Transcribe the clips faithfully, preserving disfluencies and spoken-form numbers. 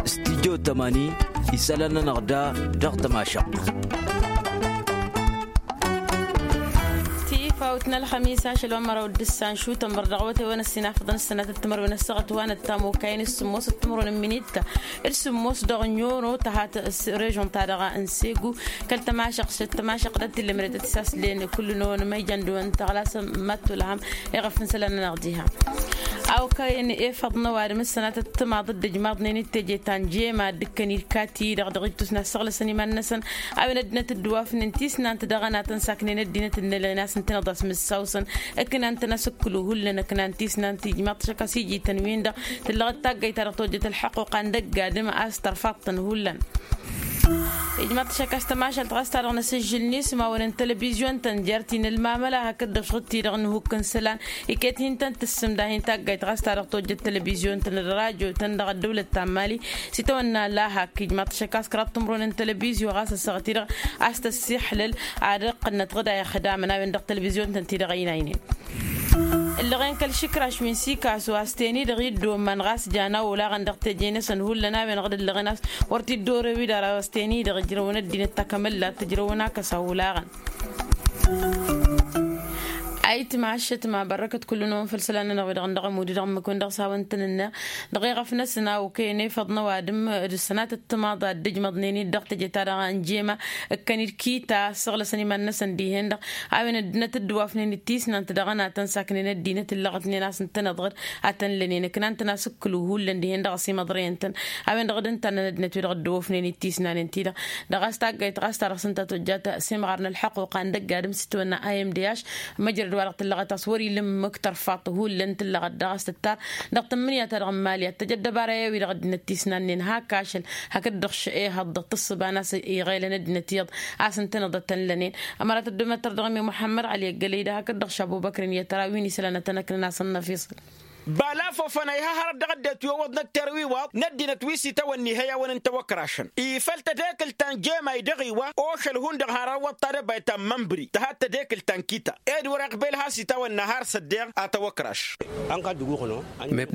Studyo tămani isălan-nănăɣ da dăɣ-tămašăɣt. Tifawt n-ălxămis ašăl wa n-măraw d-ǝssan šutăn bărdăɣ wătewăn ăssinafăḍăn s-sănatăt timărwen ăssaɣăt wa n-ăttamokayăn s-sǝmmos d-timărwen n-minit d-sǝmmos dăɣ-noro tăhat režon-ta-dăɣ n-segu kăl-tămašăɣt s-tămašăɣt d-tillămret d-tisaslen kull-năwăn ma ijăn dăwăn tăɣlasăn măttulhăm. Iɣăf n-isălan-nănăɣ diha a okăyăn efăḍ n-ăwadǝm s-sănatăt timaḍ d-ijmaḍnen d-teje ta n-jema d-ǝkkăn-dd kati-dăɣ dăɣ-ittus n-ad-săɣlăsăn iman-năsăn a-wen ăddinăt dd-wafnen tisnant dăɣ-ănatăn saknen ăddinăt ǝnnălăn a-s ǝntăneḍ a-s mǝssawsăn ǝknan-tăn asǝkkǝlu hullan ǝknan tisnant ijmaḍ-t šăkk a-s iji-tăn-win-dăɣ tǝllăɣ d-taggayt-ta-dăɣ tojjăt ălḥăqquqa n-dăgg-adǝm a-s tărfaḍ-tăn hullan. Ijmaḍ-t šăkk a-s tămašalt ɣas ta-dăɣ n-asǝžžǝl n-ismawăn n-telebizyon-tăn jer-t-in ălmamăla hakd-dăɣ šăɣ-t-i-dăɣ n-ihukk n-isălan iket hin-tăn-tǝssǝmda hin-taggayt ɣas ta-dăɣ tojjăt telebizyon-tăn d-rajo-tăn dăɣ-ăddăwlăt ta n-mali s-itawănna lahak ijmaḍ-t šăkk a-s kăraḍ timǝrwen n-telebizyo ɣas ăssaɣăt-i-dăɣ a-s tăssiḥlăl ad-iqqǝnnăt ɣǝd a ixdamăn a-wen-dăɣ telebizyon-tăn-t-i-dăɣ ăynaynen. Ǝllăɣen kăl-išǝkraš wi n-sikasu a-s ten-i-dăɣ iddoman ɣas jan a olaɣăn dăɣ-teje-năsăn hullan a-wen-dăɣ d-ǝllăɣen a-s wăr t-dd-orew-i-dăɣ a-s ten-i-dăɣ ǝjrăwăn ăddinăt takămăllat tǝjrăwăn akăs a olaɣăn. Ayǝtma ašătma bărrăkăt kull-năwăn făll-isălan-nănăɣ wi-dăɣ n-dăɣ-ămud-i-dăɣ ǝmmǝk-wen-dăɣ s-hawăn-tăn-ǝnneɣ dăɣ-eɣăf-năsăn a okăyăn efăḍ n-ăwadǝm d-ăssănatăt timaḍ a dd-ǝjmăḍnen-dd dăɣ-teje-ta-dăɣ n-jema ǝkkăn-dd kita ăssăɣlăsăn iman-năsăn dihen-dăɣ a-wen ăddinăt dd-wafnen d-tisnant dăɣ-ănatăn saknen ăddinăt ǝllăɣătnen a-s ǝntăneḍ-ɣăd a tăn-lănen ǝknan-tăn asǝkkǝlu hullan dihen-dăɣ ăsimăḍrăyăn-tăn. A-wen-dăɣ d-ǝnta a năn ăddinăt wi-dăɣ dd-wafnen d-tisnanen-ti-dăɣ dăɣ-a-s taggayt ɣas ta-dăɣ s-ǝnta tojjat s-imɣar n-ălḥăqquqa n-dăgg-adǝm s-itwănna a m d h măjrăd wa-dăɣ tǝllăɣăt a-s wăr-ila ǝmmǝk tărfaḍt hullan tǝllăɣăt daɣ a-s tǝttar dăɣ-tǝmmǝnǝya-ta-dăɣ n-mali ad-tăj ăddăbara-i-wi-dăɣ ăddinăt tisnannen hak ašăl hakd-dăɣ š-ehăḍ dăɣ-tǝssǝba n-a-s iɣelăn ăddinăt iyyăḍ a-s ǝntăneḍ ad-tăn-lănen. Ămăra tăddumăttăr dăɣ-mi muḥămmăd ɣali ăggălăy-dăɣ hakd-dăɣ š-ăbubăkr n-iyyăt tăra wi n-isălan ad-tăn-ăknăn a-s ănnăfiṣăl. Bala fofăn a iha hărăt dăɣ-ăddinăt wi ăwwăḍnăt terwiwaḍ n-ăddinăt wi s-itawănna ihăyawăn n-tawăkrašăn ifăl tadekǝlt ta n-jema idăɣ-iwa ošăl hundăɣ har ăwwăḍ tadăbayt ta n-mănbri tăhat tadekǝlt ta n-kita ed wăr-iqbel has-itawănna har s-ăddeɣ a tawăkraš.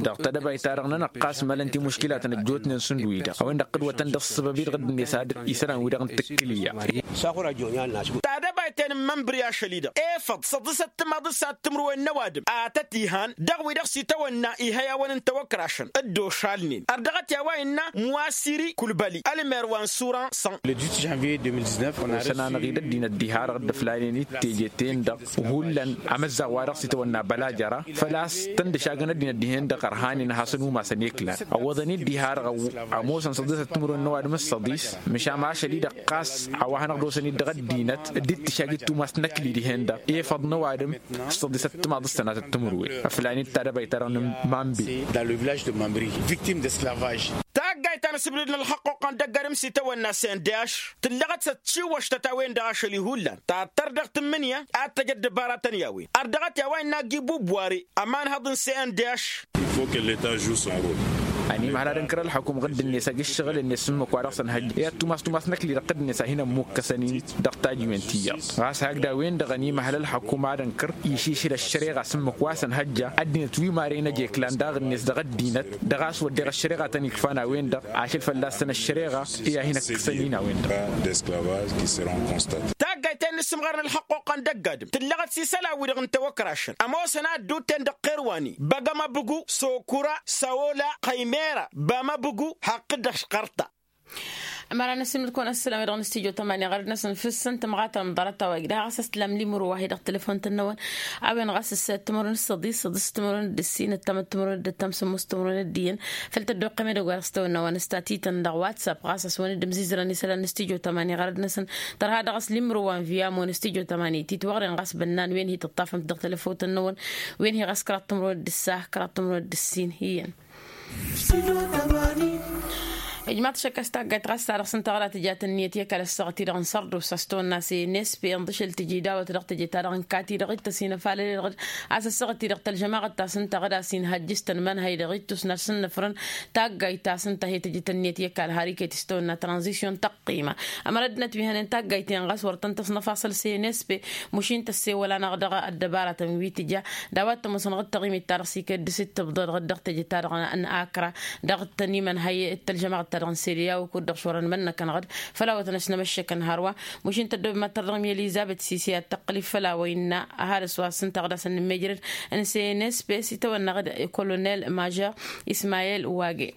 Dăɣ-tadăbayt-ta-dăɣ-nănăɣ ɣas mălăn timuškilatăn ăjjootnen šund-wi-dăɣ a-wen-dăɣ tǝdwătăn dăɣ-ǝssǝbăb-i-dăɣ dd-net ad-isălan-wi-dăɣ n-tǝkkǝlǝyya. Tadăbayt-en n-mănbri ašăl-i-dăɣ efăḍ săḍǝsăt timaḍ s-ad-timǝrwe n-ăwadǝm a tăt-ihan dăɣ-wi-dăɣ s-itawănna ihăyawăn n-tawăkrašăn dd-ošalnen ărdăɣăt i-a-wa innă muwasiri kulbăli ălmer wa n-sura săn. Osăn-anăɣ-dd ăddinăt diha-dăɣ dd-ăflanen-dd teje-ten-dăɣ hullan amǝzzaɣ wa dăɣ-s itawănna bălajăra făl-a-s tăn-dd-ăšagăn ăddinăt dihen-dăɣ ărhanen ad-hasăn-umasăn eklan ăwwăḍăn-dd diha-dăɣ. Ămoosăn săḍisăt timǝrwen n-ăwadǝm s-săḍis măšan ašăl-i-dăɣ ɣas a-wa hanăɣ-dd-osăn-dd dăɣ-ăddinăt dd-ittǝšag d-tumas n-ăkli dihen-dăɣ efăḍ n-ăwadǝm s-săḍisăt timaḍ s-sănatăt timǝrwen ăflan-dd tadăbayt-ta-dăɣ n-mambe. Dans le village de mambri victime d'esclavage. Taggayt ta n-asǝbdǝd n-ălxăqquqa n-dăgg-adǝm s-itawănna s-indăyaš tǝllăɣăt s-ătšiwăštăt a-wen-dăɣ ašăl-i hullan tattăr dăɣ-tǝmmǝnǝya ad-tăj ăddăbaratăn i-a-wen ărdăɣăt i-a-wa innă agi bubware ămanhăḍ n-s n d h. Ănimăhăl ad-ǝnkăr ălxukum ɣǝdd-net agi ǝššăɣǝl-net s-ǝmmǝk wa dăɣ-săn hăjja i-ad-tumas tumas n-ăkli-dăɣ ɣǝdd-net a hin-ămmukkăsăn-in dăɣ-tajǝwen ti iyyăḍ ɣas hakd a-wen-dăɣ ănimăhăl ălxukum ad-ǝnkăr išišǝl ăššăreɣa s-ǝmmǝk wa săn hăjja ăddinăt wi maren ăj eklan daɣ-net dăɣ-ăddinăt dăɣ-a-s wădden ăššăreɣa a tăn-ikfan a-wen-dăɣ ašăl fălla-săn ăššăreɣa i-ad-hin-ăkkăsăn-in a-wen-dăɣ. Taggayt ta innă ǝssǝmɣarăn ălxăqquqa n-dăgg-adǝm tǝllăɣăt s-isălan-wi-dăɣ n-tawăkrašăn ămoosăn a ădduutten dăɣ-qerwani băgg-amăbǝgu sokura săwola qăymera bamăbǝgu haqqǝd-dăɣ šqărta. Ămăra n-ăssimǝd-kăwăn ăssălam-i-dăɣ n-studyo tămani ɣărăd-năsăn fǝssăn tămɣatăn n-ḍarăt-a-wa igdăh ɣas a-s tǝlam limǝrǝw wa hi-dăɣ tǝlăfon-tăn-năwăn a-wen ɣas ǝssăyăt timărwen d-săḍis săḍis timărwen d-ǝssin ǝttamăt timărwen d-ǝttam sǝmmos timărwen d-iyyăn. Făl tăddoqqem edăgg wa dăɣ-s tawănna wa n-ăstatităn dăɣ-whatsapp ɣas a-s wăn-dd-ǝmzizărăn isălan n-studyo tămani ɣărăd-năsăn tărha dăɣ-s limrǝw wa n-viyamo n-studyo tămani titwăɣren ɣas bănnan wen hi-tǝṭṭafăm-t dăɣ-telăfotăn-năwăn wen hi-ɣas kăraḍ timărwen d-ǝssa kăraḍ timărwen d-ǝssin iyyăn. Ijmaḍ-t šăkk a-s taggayt ɣas ta-dăɣ s-ǝnta ɣăra tǝja tănniyăt i-kăl-ăssaɣăt-i-dăɣ n-sărdusa s-tăwănna s-e n s p ănḍǝšăl tǝji dawăt dăɣ-tăje-ta-dăɣ n-kati-dăɣ d-tăsinăfalăl-i-dăɣ. A-s ăssaɣăt-i-dăɣ tălžămaɣăt ta s-ǝnta ɣǝd a-s inhăjjǝs-tăn imănhăy-dăɣ ittus n-ad-sǝnnǝfrăn taggayt ta s-ǝnta he-tăjǝt ănniyăt i-kăl har iket s-tăwănna tranzisyon tăqqima. Ămăra ăddinăt wi hănen taggayt-en ɣas wăr-tăn-tăsnăfasăl s-e n s p. Mušin tăssewăl-anăɣ dăɣ-ăddăbaratăn wi tǝja d-a-wa t-ămoosănăɣ d-taɣimit-ta-dăɣ s-iket dăr-s ittǝbḍăd ɣǝd dăɣ-teje-ta-dăɣ n-akra dăɣ-tăn-imănhăy d-tălžămaɣăt-ta-dăɣ n-sede i-a-wa kud-dăɣ šorăn imănnăkăn ɣǝd. Făl-awătăn ăšnămăššăkăn hărwa mušin tăddob mad-tărdăɣ mi-elizăbet sisi ad-tăqqǝl-i făll-a-wa innă ad-has-wa s-ǝnta ɣǝd a-s ănnǝmmejrăd n-s e n s p s-itawănna ɣǝd kolonel mažor ismayel wage.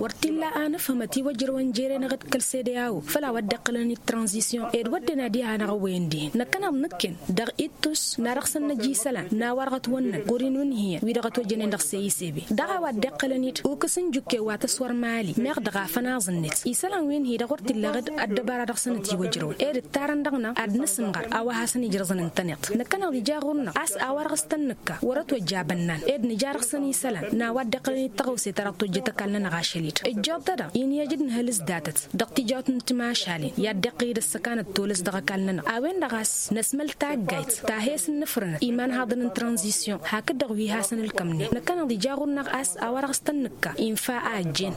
Wăr t-illa a nǝfhǝmăt iwăjrăwăn jere-năɣ d-kăl-sede a-wo făll-a-wa dd-iqqălăn d-tranzisyon ed wădden ad-iha anăɣ-wen dihen năkkăneḍ nǝkken dăɣ-ittus n-ad-dăɣ-săn năj isălan n-a-wa-dăɣ ătwănnăn ɣur-in wi n-hi-ănn wi-dăɣ ătwăjjănen dăɣ-seyis ebe dăɣ-a-wa dd-iqqălăn-dd ukǝs n-jukkew wa tăswăr mali meɣ dăɣ-afăn aẓ-net isălan wi n-hi-dăɣ wăr t-illa ɣǝd ăddăbara dăɣ-săn ătiwăjrăwăn ed ǝttarăn dăɣ-năɣ ad-nǝsǝmɣăr a-wa hasăn-ijrăẓăn ǝntăneḍ. Năkkăneḍ ija ɣur-năɣ a-s a-wa dăɣ-s-tăn-nǝkka wăr-ătwăjja abănnan ed nǝja dăɣ-săn isălan n-a-wa dd-iqqălăn d-tăɣawse ta dăɣ-tojjăt ăkall-nănăɣ ašăl-i-dd ǝjjăḍ-t-dăɣ inhăj d-inhăl s-datăt dăɣ-tijawt n-timašalen i-ad-dd-iqqǝl-dd ăssăkan d-tolăs dăɣ-ăkall-nănăɣ a-wen-dăɣ a-s năsmăl taggayt ta he-s ǝnnǝfrǝnăt imanhaḍăn n-tranzisyon hakd-dăɣ wi hasăn-ǝlkămnen năkkăneḍ ija ɣur-năɣ a-s a-wa dăɣ-s tăn-nǝkka infa a ăjjeen.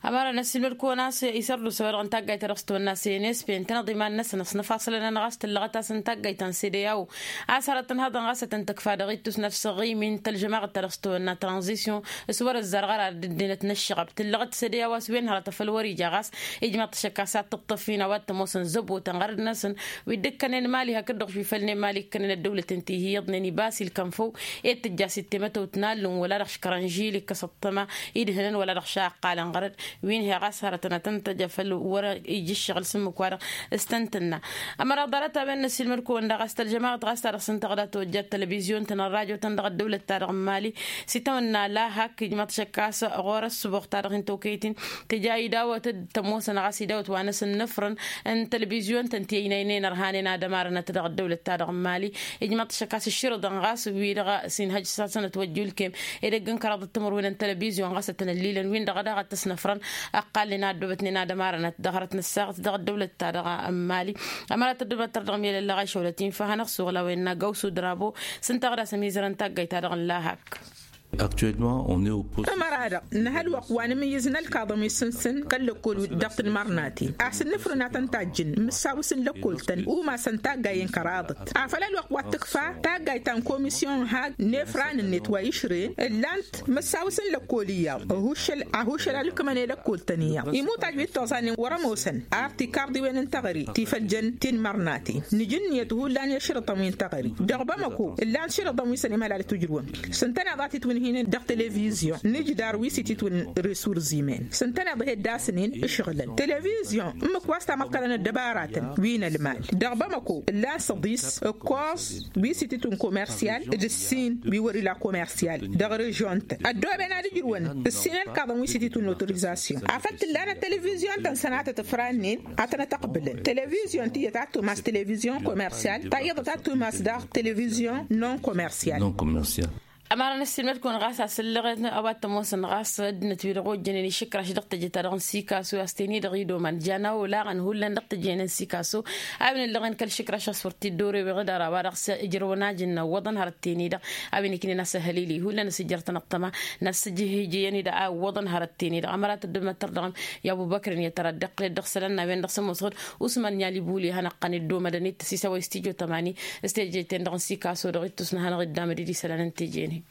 Ămăra năssiilmăd-kăwăn a-s isărdusa-wa-dăɣ n-taggayt ta dăɣ-s tăwănna s-e n s p ǝntăneḍ iman-năsăn ăsnăfasălăn-anăɣ a-s tǝllăɣăt-as n-taggayt ta n-sede i-a-wo a-s hărăt tǝnhăḍăn ɣas ad-tăn-tǝkfa dăɣ-ittus n-ad-săɣimin tălžămaɣăt ta dăɣ-s tăwănna tranzisyon s-wăr-ăzzarăɣ ara dd-ăddinăt n-ăššăɣăb tǝllăɣăt sede i-a-wa s-wen hărăt a făl wăr-ija ɣas ijmăḍ-t šăkk a-s ad-tǝṭṭăf-in a-wa t-ămoosăn zăbotăn ɣărăd-năsăn wi dd-ǝkkănen mali hakd-dăɣ wi fălnen mali ǝkkănen ăddăwlăten ti hi-iyyăḍnen ibas ilkăn făw ed tǝjja s-ittemetăwt n-allǝm wăla dăɣ-škărăn žil ikkăs ăṭṭăma idhǝnăn wăla dăɣ-šaqqalăn ɣărăd wi n-hi ɣas hărătăn ad-tăn-tăj afăl wăr-ija ǝššăɣǝl s-ǝmmǝk-wa-dăɣ s-tăn-tǝnna. Ămăra ḍarăt a-wen năssiilmăd-kăwăn daɣ a-s tălžămaɣăt ɣas ta dăɣ-s ǝnta ɣǝd a tăwăjja d-tălvizyun-tăn ărrajo-tăn dăɣ-ăddăwlăt-ta-dăɣ n-mali s-itawănna lahak ijmăḍ šăkk a-s ɣur-ăssǝboɣ-ta-dăɣ hin-tokăyăt-in tǝja idawăt d-tămoosăn ɣas idawăt wa n-asǝnnǝfrăn n-tălvizyun-tăn ti ăynăynen ărhanen ad-ămarănăt dăɣ-ăddăwlăt-ta-dăɣ n-mali. Ijmăḍ-t šăkk a-s ǝššǝrǝḍăn ɣas wi-dăɣ s-inhăj s-hasăn-ătwăjjulkem edăgg n-kăraḍăt timǝrwen n-tălvizyun ɣas ad-tăn-ăllilăn win-dăɣ daɣ ad-t-ăsnăfrăn ăqqalnen a ăddoobătnen ad-ămarănăt dăɣ-hărăt n-ăssaɣăt dăɣ-ăddăwlăt-ta-dăɣ n-mali. Ămăra tăddăbăt tărdăɣ mi-elăllăɣ a išăwlăt infa hanăɣ-suɣǝl a-wen n-agawsu drabo s-ǝnta ɣǝd a-s ămizărăn taggayt-ta-dăɣ n-lahak. Actuellement on est au poste. Ămăra-dăɣ nǝha ălwăqq wa n-amǝyyǝz n-ălkaḍăn wi s-sǝnsǝn kăl-lăkkol dăɣ-tanmărnaten a-s ǝnnǝfrǝn a tăn-tajjǝn mǝssawǝs n-lăkkol-tăn umasăn taggayen kăraḍăt afăl ălwăqq wa t-tǝkfa taggayt ta n-komisyon hag n-efran-net wa išrǝyăn ǝllan-t măssawǝs n-lăkkol iyyăḍ ăhuššăl ăhuššăl a ǝlkǝmăn i-lăkkol-tăn iyyăḍ imutaj wi t-oẓanen wăr-ămoosăn ar tikarḍiwen n-teɣăre ti făl jăn tinmărnaten nǝj ǝnniyăt hullan i-ašrǝṭăn wi n-teɣăre. Dăɣ-bamăko ǝllan ašrǝṭăn wi s-ănimălalăt ujrǝwăn s-ǝntăneḍ a titwǝnhǝynen dăɣ-televizyon n-ijdar wi s-ititwǝn resurzimen s-ǝntăneḍ ihedda-săn-in ǝšɣǝlăn televizyon ǝmmǝk wa s-tamăḍkălăn ăddăbaratăn wi n-ălmal. Dăɣ-bamăko ǝllan săḍis ǝkkoẓ wi s-ititwǝn komersyal d-ǝssin wi wăr-ila komersyal dăɣ-režyon-tăn ăddooben ad-ǝjrǝwăn ǝssin ălkaḍăn wi s-ititwǝn otorizasyon afăl t-ǝllanăt televizyon-tăn sănatăt ǝfrannen ad-tănăt-ăqbǝlăn televizyon tiyyăt ad-tumas televizyon komersyal ta iyyăḍăt ad-tumas daɣ televizyon non-komersyal. Ămăra n-ăssiilmăd-kăwăn ɣas asǝllăɣen a-wa t-ămoosăn ɣas ăddinăt-wi-dăɣ ojjănen išǝkraš dăɣ-teje-ta-dăɣ n-sikasu a-s ten-i-dăɣ idoman jan a olaɣăn hullan dăɣ-teje-en n-sikasu a-wen ǝllăɣen kăl-išǝkraš a-s wăr t-dd-orew iɣǝdar a-wa dăɣ-s ǝjrăwăn ajǝnna ǝwwăḍăn hărăt ten-i-dăɣ a-wen iknen asăhălili hullan asǝjjărtăn ăṭṭăma n-asǝjǝhǝjǝyăn-i-dăɣ a ǝwwăḍăn hărăt ten-i-dăɣ ămăra tăddămăt tărdăɣăm i-abubăkrăn i-ad-tăra dd-iqqǝlăt dăɣ-isălan n-a-wen-dăɣ s-ămoos ɣǝd usman n-i-alibuli hanăɣ-qan dd-omădăn-dd tăsisăwăy s-tijo tămani s-teje-ten-dăɣ n-sikaso dăɣ-ittus n-ad-hanăɣ-dd-amăd-dd isălan n-teje-en-hi.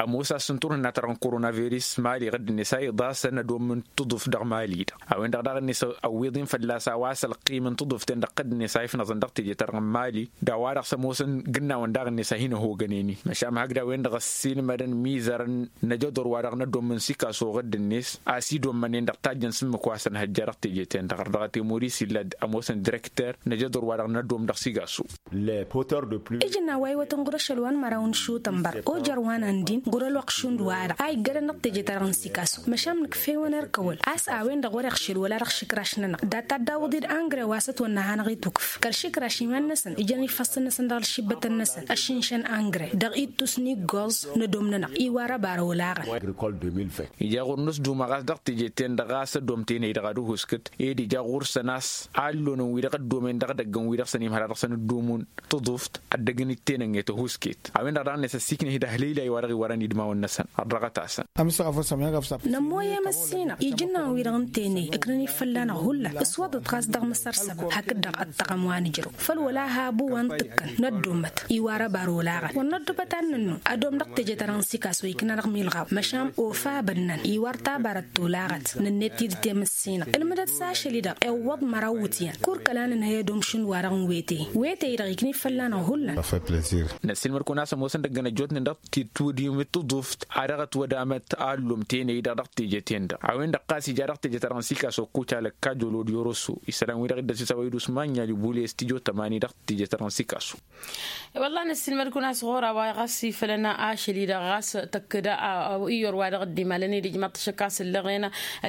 Ămoos a-s n-turhǝnna-ta-dăɣ n-korona virus mali ɣǝdd-net a iḍasăn ad-ommǝn tuḍuft dăɣ-mali-dăɣ a-wen-dăɣ daɣ-net ăwwiḍ-in fălla-s a-wa s-ălqim n-tuḍuften dăɣ-tădd-net a ifnăẓăn dăɣ-teje-ta-dăɣ n-mali d-a-wa-dăɣ s-ămoosăn gǝnnawen daɣ-net a hin-ăhogănen-in măšan hakd a-wen-dăɣ ăssiilmădăn mizărăn n-ajăḍur wa dăɣ-nădomm n-sikaso ɣǝdd-net a-s idommănen dăɣ-tajjăn s-ǝmmǝk wa s-ănhăjja dăɣ-teje-ten-dăɣ ărdăɣăt i-moris illa d-ămoosăn direkter n-ajăḍur wa dăɣ-nădomm dăɣ-sigaso. Ijǝnna wa iwătăn ɣur-ašăl wa n-măraw n-išutănbăr ojăr wa n-andin Gurălwăɣ šund wa-dăɣ a iggădăn dăɣ-teje-ta-dăɣ n-sikasu. Măšan nǝkf'-e-wăn erk ăwăl a-s a-wen-dăɣ wăr-iɣšel wăla dăɣ-išǝkraš-nănăɣ, dat-ta dd-awǝḍ-dd angrăy wa s-ătwănna a hanăɣ-itukǝf kăl-išǝkraš iman-năsăn ijăn ifăssăn-năsăn dăɣ-ălšibbătăn-năsăn ăššǝnšăn angrăy dăɣ-ittus n-iggoẓ n-ădom-nănăɣ. Iwar ăbarăwăl aɣăn. Ija ɣur-nǝsduma ɣas dăɣ-teje-ten-dăɣ ɣas ăddoom tenăy-dăɣ ad-ǝhuskǝt ed ija ɣur-săn a-s allonăn wi-dăɣ ăddomen dăɣ-edăgg n-wi-dăɣ săn imhăra dăɣ-săn ǝddumun. Tǝḍuft ăddăgg-in-dd tenănget ăhuusket a-wen-dăɣ daɣ-net ăssiiknăh-dd ăhlăylay wa dăɣ-iwărăn idmawăn-năsăn. Ărrăɣăt-asăn. Nămmoy i-măssinăɣ ijǝnnawăn-wi-dăɣ n-tenăy ǝknăn-dd fălla-năɣ hullan. Ǝswăḍăt ɣas dăɣ-măsăr săbăb hakd-dăɣ ăṭṭăɣăm wa nǝjrăw făl wăla habu wa n-tǝkkăn năddomăt iwar ăbar olaɣăn wăr năddubăt ad-nǝnnu. Ădom dăɣ-teje-ta-dăɣ n-sikas wa ikna dăɣ-milɣaw măšan ofa abănnan iwar tabarăt tolaɣăt. Nǝnnet-dd temǝssinăɣ ǝlmǝdăt s-ašăl-i-dăɣ iwwăḍ măraw wǝtyan. Kurkăl a nǝnhăy ădom šund wa-dăɣ n-wetey wetey-dăɣ ikna-dd fălla-năɣ hullan. Năssiilmăd-kăwăn a-s ămoosăn dăgg-ănăjjootnen dăɣ-titwǝd i-tǝḍuft a dăɣ-ătwădamăt a ăllum tenăy-dăɣ dăɣ-teje-ten-dăɣ a-wen-dăɣ ɣas ija dăɣ-teje-ta-dăɣ n-sikaso kucalăk kajolod i-oroso. Isălan-wi-dăɣ dd-ăsisawăy d-usman n-yali bule s-tijo tămani dăɣ-teje-ta-dăɣ n-sikaso. Wălla năssiilmăd-kăwăn a-s ɣur-a-wa ɣas ifălăn ašăl-i-dăɣ ɣas tăkkăd iyyăr wa dăɣ-dd-imalăn-dd ijmaḍ-t ašăk a-s ǝllăɣen.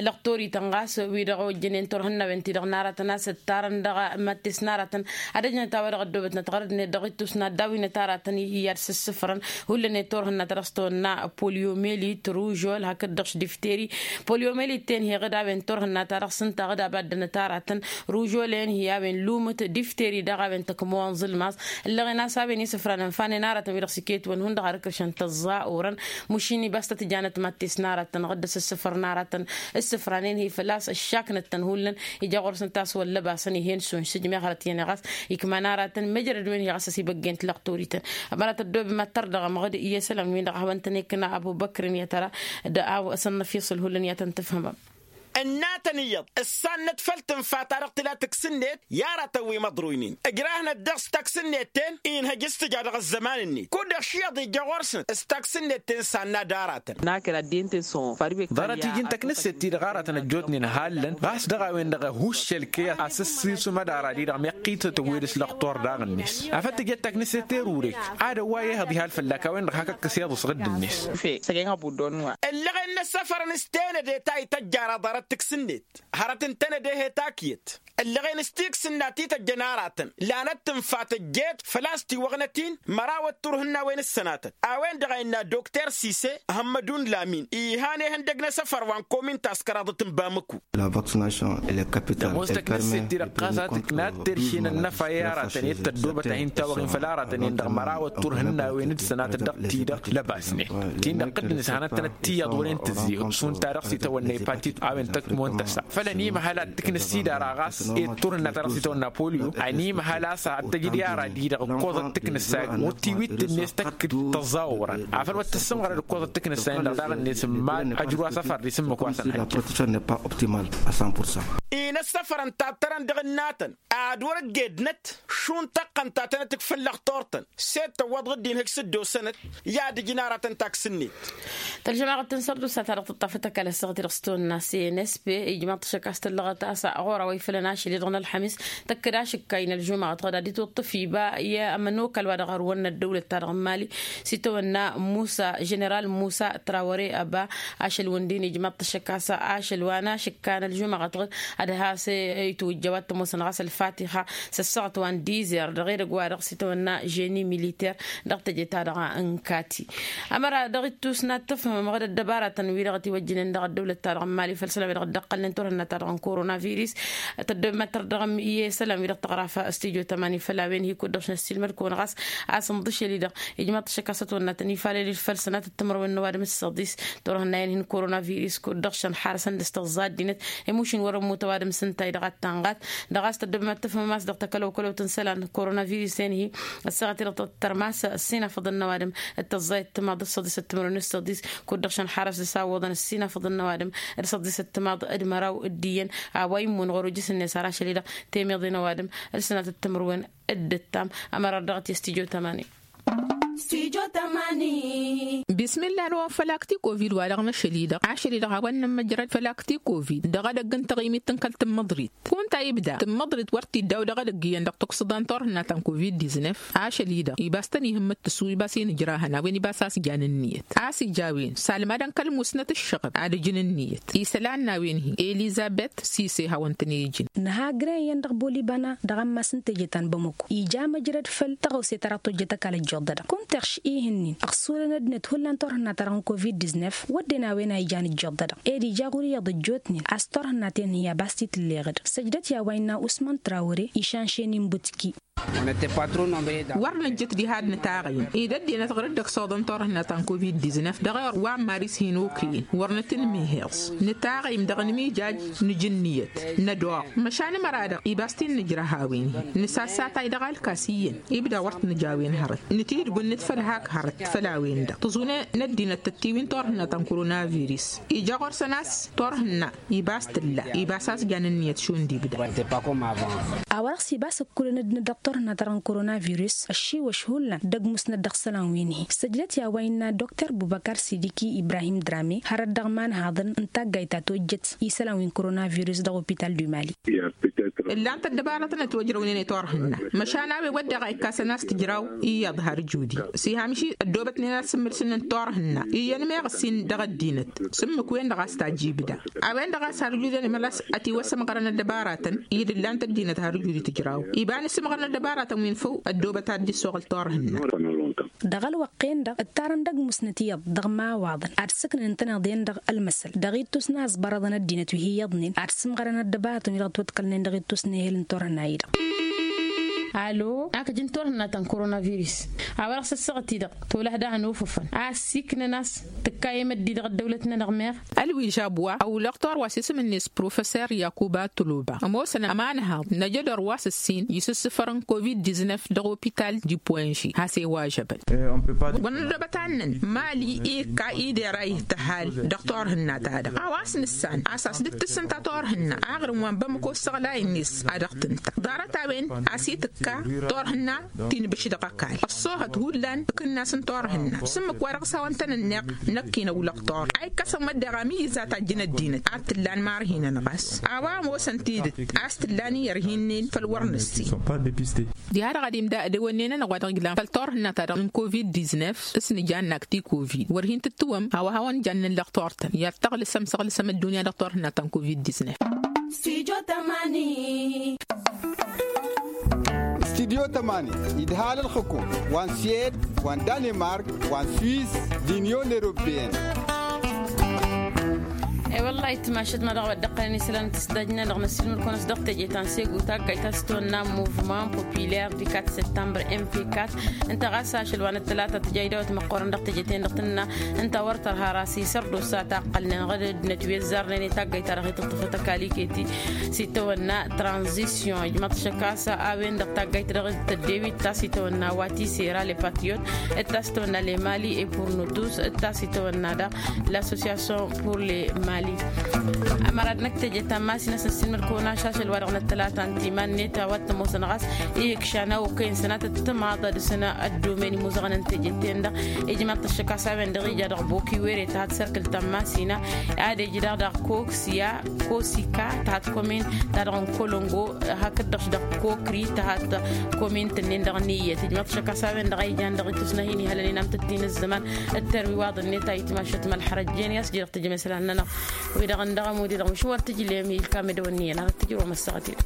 Lăqtor-ităn ɣas wi-dăɣ ojjănen turhǝnnawen-ti-dăɣ n-aratăn a-s ǝttarăn dăɣ-mattes n-aratăn ad-ăjnăt a-wa dăɣ-ăddoobătnăt ɣărădnet dăɣ-ittus n-ad-dawinăt aratăn i-ad-sǝssǝfrăn. Hullan i-turhǝnna ta dăɣ-s tăwănna poliomelit ružol hakd-dăɣ-š difteri. Poliomelit-ten hi-ăɣ d-a-wen turhǝnna ta dăɣ-s ǝnta ăɣ d-abaddănăt aratăn ružol-en hi-a-wen lumǝt difteri daɣ a-wen tăkmăwăn ẓǝlmaẓ. Ǝllăɣen a-s a-wen isǝfran ǝnfanen aratăn wi-dăɣ s-iket-wăn hundăɣ har ǝkrǝšăn tăẓẓa orăn. Mušin ibas tăt-janăt mattes n-aratăn ɣǝddǝs ǝssǝfrăn aratăn ǝssǝfranen hi-făl-a-s ăššaknăt-tăn hullan. Ija ɣur-săn taswăllăbasăn ih'-en s-unšǝj meɣ hărăt-i-ănăɣ a-s ikman aratăn mejrăd-wen hi-ɣas ăsibăggen tilăɣtorităn. Ămăra tăddobem ad-tărdăɣăm ăɣ-dd iyyăsălăm-win-dăɣ a hawăn-tăn-ikna ăbubăkr-in i-ad-tăra d-a-wa s-ănnăfiṣǝl hullan i-ad-tăn-tǝfhǝmăm. Ǝnnatăn iyyăḍ ǝssannăt făll-tǝnfa-ta-dăɣ tǝla taksǝnnet i-aratăn wi măḍruynen ǝjrahnăt dăɣ-s taksǝnnet-ten. Inhăj s-tǝja dăɣ-ăzzăman-net kud-dăɣ š-iyyăḍ ija ɣur-săn s-taksǝnnet-ten sanna d-aratăn. Ḍarăt iji n-taknǝsset-ti-dăɣ aratăn ăjjootnen hallăn ɣas dăɣ-a-wen-dăɣ ăhuššăl-kăy asǝssisǝm ad-ara-di-dăɣ meɣ qitătăn wi dăɣ-s lăqtor daɣ-net. Afăl tǝjăt taknǝsset erurek ad-ăwway ehăḍ ihal fălla-k a-wen-dăɣ hak ǝkkǝs iyyăḍ s-ɣǝdd-net. Ǝllăɣen n-ăssăfărăn s-tenăde ta ităjjara ḍarăt taksǝnnet hărăt n-tenăde he-takǝyăt. Ǝllăɣen s-tiksǝnna ti tăjjăn aratăn lanăt tǝnfa tăjjeet făl-a-s tiwăɣnăt-in mărawăt turhǝnnawen s-sănatăt. A-wen-dăɣ a innă dokter sise hămmădun lamin iha n-ehăndăg n-asăfăr wa n-komin taskăraḍăt n-bamăku. Dăɣ-ămoos taknǝsset-ti-dăɣ ɣas a tǝkna ad-terše n-ănnăfa i-aratăn i-tăddobăt a hin-tawăɣ-in făll-aratăn-en-dăɣ mărawăt turhǝnnawen d-sănatăt dăɣ-ti-dăɣ lăbasnen. Ti n-dăɣ dd-nǝshanăt-tăn ăttiyyăḍ wăren tǝzzeyăw šund ta dăɣ-s itawănna ipatităt a-wen tăkmon tăsa făl ănimăhăl ad-tǝknǝs-i d-ara ɣas i-turhǝnna ta dăɣ-s itawănna polio. Ănimăhăl a-s ad-tăjǝd i-ara-di-dăɣ ǝkkoẓăt tǝknǝssan wăr tiwit-net tăkk-dd tăẓẓawărăn afăl wăr tǝssǝmɣărăd ǝkkoẓăt tǝknǝssan-in-dăɣ daɣ-net n-iman ăjru asăfar-di s-ǝmmǝk wa săn-hăjja. Inăssăfărăn tattărăn dăɣ-ǝnnatăn ad-wăr-ăggednăt šund tăqqăn ta tănăt-ǝkfǝn lăxtor-tăn s-e-d tăwwăḍ ɣǝddin hǝj s-dd-osănăt. I-ad-ǝjǝn aratăn taksǝnnet. Tălžămaɣăt n-sărdusa ta dăɣ-tǝṭṭafăt ăkall ăssaɣăt-i-dăɣ s-tawănna s-e n s p ijmaḍ-t ašăk a-s tăllăɣăt a-s ɣur-a-wa ifălăn ašăl-i-dăɣ n-ălxămis tăkk-dd ašǝkka-i n-ălžumăɣăt ɣǝd ad-itwǝṭṭǝf iba i-ămănokal wa dăɣ-ărwănna ăddăwlăt-ta-dăɣ n-mali. S-itawănna musa ženeral musa trawăre ăba ašăl-wǝndin ijmaḍ-t ašăk a-s ašăl wa n-ašǝkka n-ălžumăɣăt ɣǝd ad-has-itwǝjja wa t-ămoosăn ɣas ălfatixa s-ăssaɣăt wa n-dizer dăɣ-edăgg wa dăɣ-s itawănna ženi militer. Dăɣ-teje-ta-dăɣ n-kati ămăra dăɣ-ittus n-ad-tǝfhǝmăm ɣǝd ăddăbaratăn-wi-dăɣ ătiwăjjǝnen dăɣ-ăddăwlăt-ta-dăɣ n-mali făll-isălan-wi-dăɣ dd-ăqqălnen turhǝnna-ta-dăɣ n-korona virus. Tăddobem ad-tărdăɣăm i-isălan-wi-dăɣ tăɣrafa stujo tămani făll-a-wen hi-kud-dăɣ šnăssiilmăd-kăwăn ɣas a-s ǝnḍǝšel-i-dăɣ ijmaḍ-t ašăk a-s ătwănna tăn-ifalăl-dd făll-sănatăt timărwen n-ăwadǝm d-săḍis. Turhǝnnayen hin-korona virus kud-dăɣ šăn xarăsăn dăɣ-s tăẓẓa ăddinăt i-mušin wăr-ămmut ăwadǝm s-ǝnta-i-dăɣ ad-tanɣat. Dăɣ-a-s tăddobem ad-tǝfhǝmăm a-s dăɣ-takălăwkălăwt n-isălan korona virus-en-hi ăssaɣăt-i-dăɣ tăttărmas ăssinafăḍăn n-ăwadǝm d-tăẓẓayăt timaḍ d-săḍisăt timărwen d-săḍis. Kud-dăɣ šăn xarăs dăɣ-s a ǝwwăḍăn ăssinafăḍăn n-ăwadǝm d-săḍisăt timaḍ d-măraw d-iyyăn a-wa immǝn ɣur-ujǝs-net ar ašăl-i-dăɣ temeḍe n-ăwadǝm d-sănatăt timărwen d-ǝttam. Ămăra dăɣ-t i-stijo tămani. Stijo tămani. Bismillah. N-a-wa făl akti covid wa dăɣ-năšăl-i-dăɣ ašăl-i-dăɣ a-wa n-nămmăjrăd făl akti covid dăɣ-edăgg n-taɣimit n-kăl-tǝmmăḍrit. Kunta ibda tǝmmăḍrit wăr t-iddaw dăɣ-edăgg iyyăn dăɣ-tuksǝḍa n-turhǝnna ta n-covid-diznef. Ašăl-i-dăɣ ibas tăn-ihǝmmǝt tǝssu ibas-i n-ǝjrahăn a-wen ibas a-s jan ǝnniyăt a-s ija a-wen salmad n-kăl-musnăt ǝššăɣăb ad-ǝjǝn ǝnniyăt. Isălan n-a-wen hi-elizabet sise hawăn-tăn-ijǝn. Nǝha grăyăn dăɣ-bolibana dăɣ-ammas n-teje ta n-bamăko ija măjrăd făll-tăɣawse ta dăɣ-tojjăt ăkall ăjjuḍădăɣ kunta iɣš ihǝnnin ăɣsurăn ăddinăt hullan turhǝnna ta dăɣ-n covid-diznef wădden a-wen a ijan ăjjuḍădăɣ. Ed ija ɣur-iyyăḍ ăjjootnen a-s turhǝnna-ten-hi a bas t-tǝlleɣ-dăɣ săjdăt i-a-wa innă usman trawăre išan šen inbutki. Wăr nǝjjǝt diha d-nǝtaɣăyǝm ed ăddinăt ɣur-dd-ăksuḍăn turhǝnna ta n-covid-diznef dăɣ-ewăr wa n-maris hin-okăyăn wăr nǝtǝnmiheẓ. Nǝtaɣăyǝm dăɣ-nǝmijaj nǝj ǝnniyăt nădoɣ măšan ămăra-dăɣ ibas t-in-nǝjrăh a-wen-hi. Nǝsassatay dăɣ-alkas iyyăn ibda wăr t-nǝj a-wen hărăt nǝtidbunnǝt făll-hak hărăt făll-a-wen-dăɣ tǝẓune n-ăddinăt tăt-tiwin turhǝnna ta n-koronavirus. Ija ɣur-săn a-s turhǝnna ibas tǝlla ibas a-s jan ǝnniyăt šund ibda. A-wa dăɣ-s ibas ǝkkulăn ăddinăt dăɣ-turhǝnna ta dăɣ-n koronavirus ăššiwăš hullan d-ăgg musnăt dăɣ-isălan wi n-hi-săjdăt i-a-wa innă dokter bubăkar sidiki ibrahim drame hărăt dăɣ-imanhaḍăn n-taggayt ta tojjăt isălan wi n-koronavirus dăɣ-opital du mali. Ǝllan-t ăddăbaratăn ătwăjrăwnen i-turhǝnna măšan a-wen wădden a ikkasăn a-s tǝjraw iyyăḍ har judi s-iha măšin ăddoobătnen ad-sǝmmǝlsǝn n-turhǝnna iyyăn meɣ ǝssin dăɣ-ăddinăt s-ǝmmǝk-wen-dăɣ a-s tajj ibda. A-wen-dăɣ a-s har judi ănimălas ătiwăssămɣărăn ăddăbaratăn i-dd ǝllan-t ăddinăt har judi tǝjraw iba n-ǝssǝmɣărăn ăddăbaratăn wi n-făw ăddoobăt ad-dd-issoɣǝl turhǝnna. Dăɣ-ălwăqq-en-dăɣ ǝttarăn d-ăgg musnăt iyyăḍ dăɣ-imawaḍăn ad-sǝknǝn ǝntăneḍ-en-dăɣ ălmăsăl dăɣ-ittus n-aẓbărăḍăn ăddinăt wi hi-iyyăḍnen ad-sǝmɣărăn ăddăbaratăn wi dăɣ-ătwăḍkălnen dăɣ-ittus n-ehel n-turhǝnna-i-dăɣ. Alo akăj n-turhǝnna ta n-koronavirus a-wa dăɣ-s ăssaɣăt-i-dăɣ tolăh daɣ ănufăfăn a ăssiiknăn a-s tǝkka i-măddi dăɣ-ăddăwlăt-nănăɣ meɣ. Ălwižab wa ăwlăɣ tor wa s-isǝm-net professor yakuba toloba ămoosăn ămanhaḍ n-ajădor wa s-ǝssin isǝssǝfărăn covid-diznef dăɣ-opital dipoinži has-e-wa žăbăn. Wăr nădobăt annăn mali ikka idera ihtăhal dăɣ-turhǝnna-ta-dăɣ a-wa s-nǝssan a-s a-s dd-tǝssǝnta turhǝnna aɣrǝm wa n-bamăko ǝssăɣlay-net a dăɣ-tǝnta ḍarăt-a-wen a-s itǝkka turhǝnna ti n-bǝš dăɣ-ăkall ăṣṣoohăt hullan ǝkǝnnas n-turhǝnna s-ǝmmǝk wa dăɣ-s hawăn-tăn-ǝnneɣ. Năkk-in ăwlăɣ tor a ikkăsăn măddeɣ amǝyyǝz a tajjǝn ăddinăt ad-t-ǝllan marhinăn ɣas a-wa ămoosăn tidǝt a-s t-ǝllan i-ărhinnin făll-wăr nǝssin. Diha-dăɣ ad-imda ădewănnen-anăɣ wa dăɣ-iglan făll-turhǝnna-ta-dăɣ n-covid-diznef s-nǝjannak ti covid wăr hin-tǝttǝwăm a-wa hawăn-jan nǝllăɣ tor-tăn i-ad-tăɣlǝsăm săɣlǝsăm ăddunya dăɣ-turhǝnna ta n-covid-diznef. Studio tămani. Studio tămani idhal ǝlxǝkum wa n-sued wa n-danemark wa n-suis d-union europeen. E-wălla-hi timašăt ma dăɣ-wa dd-ăqqălăn isălan n-tǝsdajnen dăɣ-năssilmăr-kăwăn-s dăɣ-teje ta n-segu taggayt ta s-tăwănna muvman populaire du quatre septembre m p quatre. Ǝnta ɣas ašăl wa n-ăttălata tǝja idawăt măqqoorăn dăɣ-teje-ten-dăɣ tǝnna ǝnta wăr tărha rasisăr d-osa ta ăqqălnen ɣǝd ăddinăt wi ăzzarnen i-taggayt ta dăɣ-hi-tǝṭṭǝfăt ăkall iket-i s-itawănna tranzisyon ijmăḍ šăkasa a-wen-dăɣ taggayt dăɣ-tăddewit ta s-itawănna wa tisera le patriot d-ta s-tawănna le mali e purnutus d-ta s-itawănna daɣ l-association pur le mali. Ămăra d-năkk teje ta n-masin a-s năssinmăd-kăwăn-ašăl wa dăɣ-năttălata n-timan-net a-wa t-ămoosăn ɣas ihǝkšan a okăyăn sănatăt timaḍa d-săna ăddomen imuzăɣăn n-teje-ten-dăɣ. Ijmăḍ-t ăššăk a-s a-wen-dăɣ ija dăɣ-bokiwere tăhat serkǝl ta n-masina ad-ej daɣ daɣ koksiya kosika tăhat komin ta dăɣ-n kolongo hakd-dăɣ-š dăɣ-kokri tăhat komin tǝnnin dăɣ-niyyăt ijmăḍ-t ăššăk a-s a-wen-dăɣ a ijan dăɣ-itusna hin-ihălăn inamtăt-in ǝzzăman. D-terwiwaḍ-net a itmašăt mălxărăjjen i-a-s j-dăɣ-tǝjmeslan-nănăɣ wi-dăɣ ǝndăɣ ămud-i-dăɣ mǝšwăr tǝjlem ilkam edăwănniyăn ad-tǝjrǝwăm ăssaɣăt-i-dăɣ.